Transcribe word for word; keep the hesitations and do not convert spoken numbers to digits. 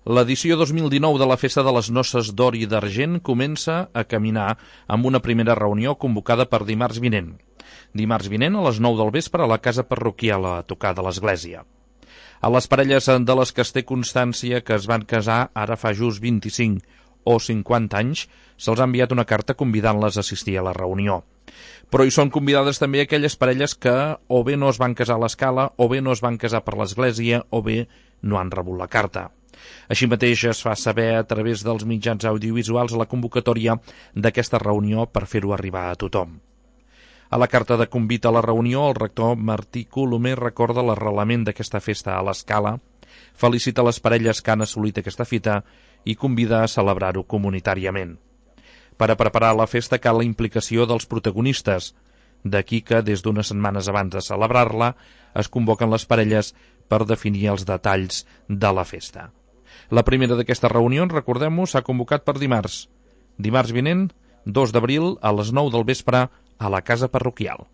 L'edició dos mil dinou de la Festa de les Noces d'Or i d'Argent comença a caminar amb una primera reunió convocada per dimarts vinent. Dimarts vinent a les nou del vespre a la casa parroquial a tocar de l'església. A les parelles de les que es té constància que es van casar ara fa just vint-i-cinc o cinquanta anys, se'ls ha enviat una carta convidant-les a assistir a la reunió. Però hi són convidades també aquelles parelles que o bé no es van casar a l'escala, o bé no es van casar per l'església, o bé no han rebut la carta. Així mateix es fa saber a través dels mitjans audiovisuals la convocatòria d'aquesta reunió per fer-ho arribar a tothom. A la carta de convit a la reunió, el rector Martí Colomer recorda l'arrelament d'aquesta festa a l'escala, felicita les parelles que han assolit aquesta fita i convida a celebrar-ho comunitàriament. Per a preparar la festa cal la implicació dels protagonistes, d'aquí que des d'unes setmanes abans de celebrar-la es convoquen les parelles per definir els detalls de la festa. La primera d'aquestes reunions, recordem-ho, s'ha convocat per dimarts. Dimarts vinent, dos d'abril, a les nou del vespre, a la casa parroquial.